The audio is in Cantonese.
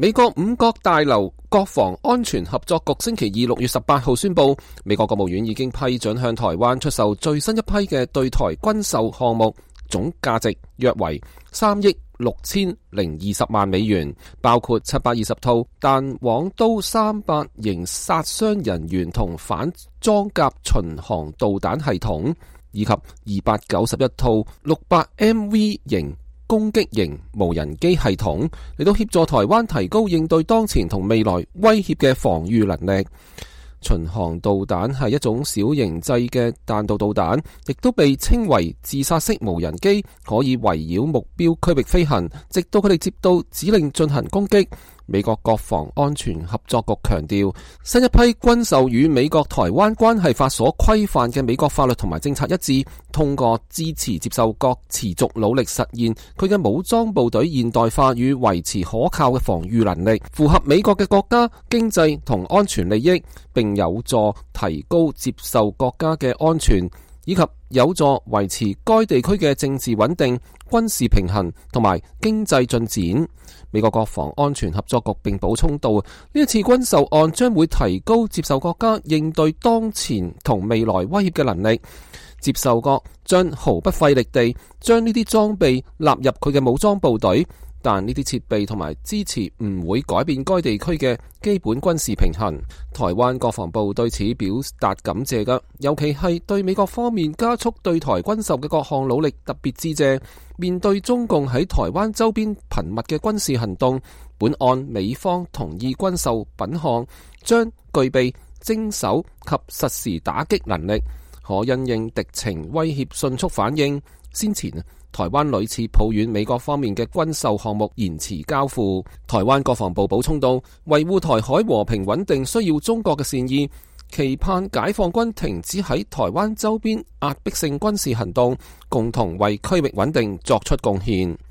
美國五角大樓國防安全合作局星期二6月18號宣布，美國國務院已經批准向台灣出售最新一批嘅對台軍售項目，總價值約為3億6020萬美元，包括720套彈簧刀300型殺傷人員同反裝甲巡航導彈系統，以及291套600MV 型攻擊型無人機系統，嚟到協助台灣提高應對當前同未來威脅嘅防禦能力。巡航導彈係一種小型製嘅彈道導彈，亦都被稱為自殺式無人機，可以圍繞目標區域飛行，直到佢哋接到指令進行攻擊。美國國防安全合作局強調，新一批軍售與美國台灣關係法所規範嘅美國法律同埋政策一致，通過支持接受國持續努力實現佢嘅武裝部隊現代化與維持可靠嘅防禦能力，符合美國嘅國家經濟同安全利益，並有助提高接受國家嘅安全，以及有助維持該地區嘅政治穩定、軍事平衡同埋經濟進展。美國國防安全合作局並補充到，呢一次軍售案將會提高接受國家應對當前同未來威脅嘅能力。接受國將毫不費力地將呢啲裝備納入佢嘅武裝部隊，但呢啲設備同埋支持唔會改變該地區嘅基本軍事平衡。台灣國防部對此表達感謝嘅，尤其係對美國方面加速對台軍售嘅各項努力特別致謝。面對中共喺台灣周邊頻密嘅軍事行動，本案美方同意軍售品項將具備精手及實時打擊能力，可因應敵情威脅迅速反應。先前台灣屢次抱怨美國方面嘅軍售項目延遲交付，台灣國防部補充到，維護台海和平穩定需要中國嘅善意，期盼解放軍停止喺台灣周邊壓迫性軍事行動，共同為區域穩定作出貢獻。